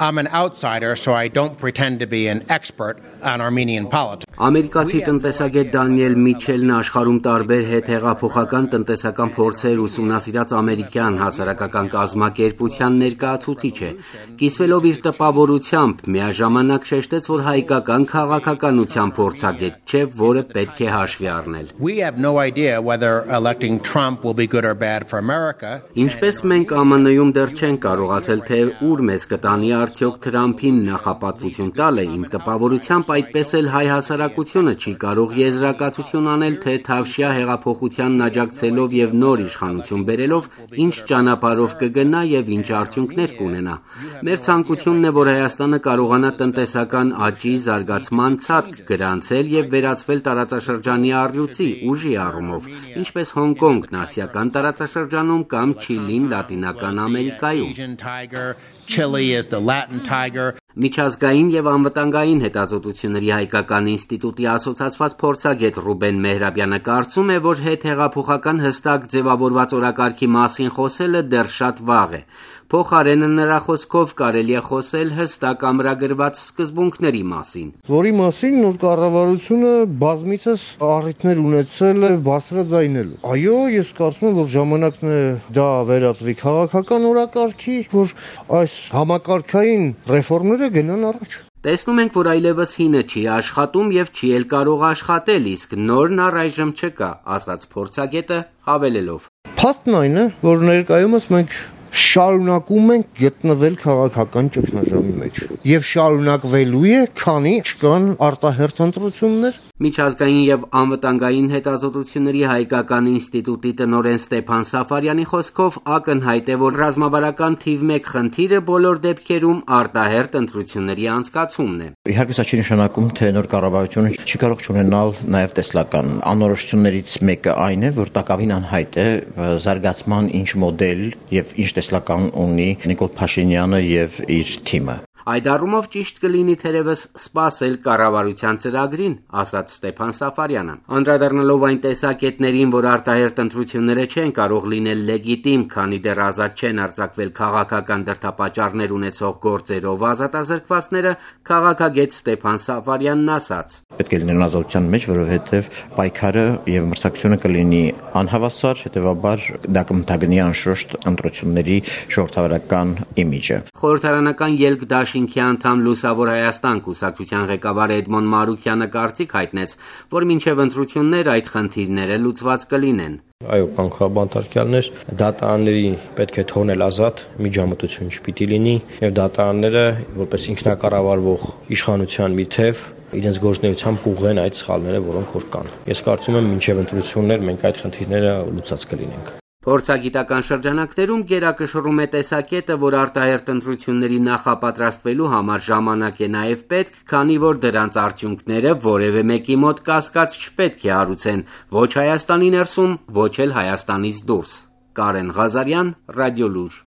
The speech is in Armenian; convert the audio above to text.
I'm an outsider, so I don't pretend to be an expert on Armenian politics. Ամերիկացի տնտեսագետ Դանիել Միչելն աշխարհում տարբեր հետհեղափոխական տնտեսական փորձեր ուսումնասիրած ամերիկյան հասարակական կազմակերպության ներկայացուցիչ է։ Կիսվելով իր տպավորությամբ, միաժամանակ շեշտեց, որ հայկական քաղաքականության փորձագետ չէ, որը պետք է հաշվի առնել։ We have no idea whether electing Trump will be good or bad for America. Ինչպես մենք ԱՄՆ-ում դեռ չենք կարող ասել, թե ուր մեզ կտանի արդյոք Թրամփին նախապատվություն տալը, իմ տպավորությամբ այդպես էլ հայ հասարակությունը չի կարող եզրակացություն անել, թե Թավշյա հեղափոխությանն աջակցելով եւ նոր իշխանություն բերելով ինչ ճանապարհով կգնա եւ ինչ արդյունքներ կունենա։ Մեր ցանկությունն է, որ Հայաստանը կարողանա տնտեսական աճի, զարգացման ցածկ գրանցել եւ վերածվել տարածաշրջանի առյուծի ուժի առումով, ինչպես Հոնկոնգն ասիական տարածաշրջանում կամ Չիլին Լատինական Ամերիկայում։ Chile is the Latin tiger. Միջազգային եւ անվտանգային հետազոտությունների հայկական ինստիտուտի ասոցացված փորձագետ Ռուբեն Մեհրաբյանը կարծում է, որ հետհեղափոխական հստակ ձևավորված օրակարգի մասին խոսելը դեռ շատ վաղ է։ Փոխարենը նրա խոսքով կարելի է խոսել հստակ ամրագրված սկզբունքների մասին, որի մասին նոր կառավարությունը բազմիցս առիթներ ունեցել է բարձրաձայնելու։ Այո, ես կարծում եմ, որ ժամանակն է դա վերածվի քաղաքական օրակարգի, որ այս համակարգային ռեֆորմները գնան առաջ։ Տեսնում ենք, որ այլևս հինը չի աշխատում եւ չի էլ կարող աշխատել, իսկ նորն առայժմ չկա, ասաց փորձագետը հավելելով. Փաստն այն է, որ ներկայումս մենք շարունակում ենք գտնվել քաղաքական ճգնաժամի մեջ եւ շարունակվելու է, քանի չկան արտահերթ ընտրություններ։ Միջազգային եւ անվտանգային հետազոտությունների հայկական ինստիտուտի տնօրեն Ստեփան Սաֆարյանի խոսքով ակնհայտ է, որ ռազմավարական թիվ 1 խնդիրը բոլոր դեպքերում արտահերթ ընտրությունների անցկացումն է։ Իհարկե սա չի նշանակում, թե նոր կառավարությունը չի կարող ունենալ նաեւ տեսլական անորոշություններից մեկը այն է, որ տակավին անհայտ է զարգացման ինչ մոդել եւ ինչ տեսլական ունի Նիկոլ Փաշինյանը եւ իր թիմը։ Այդ առումով ճիշտ կլինի թերևս սպասել կառավարության ծրագրին, ասաց Ստեփան Սաֆարյանը։ Անդրադառնալով այն տեսակետներին, որ արտահերթ ընտրությունները չեն կարող լինել լեգիտիմ, քանի դեռ ազատ չեն արձակվել քաղաքական դրդապատճառներ ունեցող գործերով ազատազրկվածները, քաղաքագետ Ստեփան Սաֆարյանն ասաց. Պետք է լինեն ազատության մեջ, որովհետև պայքարը եւ մրցակցությունը կլինի անհավասար, հետեւաբար դա կմտագնի անշուշտ ընտրությունների ժողովրդավարական իմիջը։ Խորհրդարանական ելք դաշինքի անդամ Լուսավոր Հայաստան կուսակցության ղեկավար Էդմոն Մարուկյանը կարծիք հայտնեց, որ մինչև ընտրություններ այդ խնդիրները լուծված կլինեն։ Այո, կան քաղաքապետարյաններ, դատարանների պետք է թողնել ազատ, միջամտություն չպիտի լինի, եւ դատարանները որպես ինքնակառավարվող իշխանության մի թեւ իրենց գործունեությամբ կուղղեն այդ սխալները, որոնք որ կան։ Ես կարծում եմ, մինչև ընտրություններ մենք այդ խնդիրները լուծած կլինենք։ Փորձագիտական շրջանակներում գերակշռում է տեսակետը, որ արտահերթ ընտրությունների նախապատրաստվելու համար ժամանակ է նաև պետք, քանի որ դրանց արդյունքները որևէ մեկի մոտ կասկած չպետք է հարուցեն ոչ Հայաստանի ներսում, ոչ էլ Հայաստանից դուրս։ Կարեն Ղազարյան, Ռադիոլուր։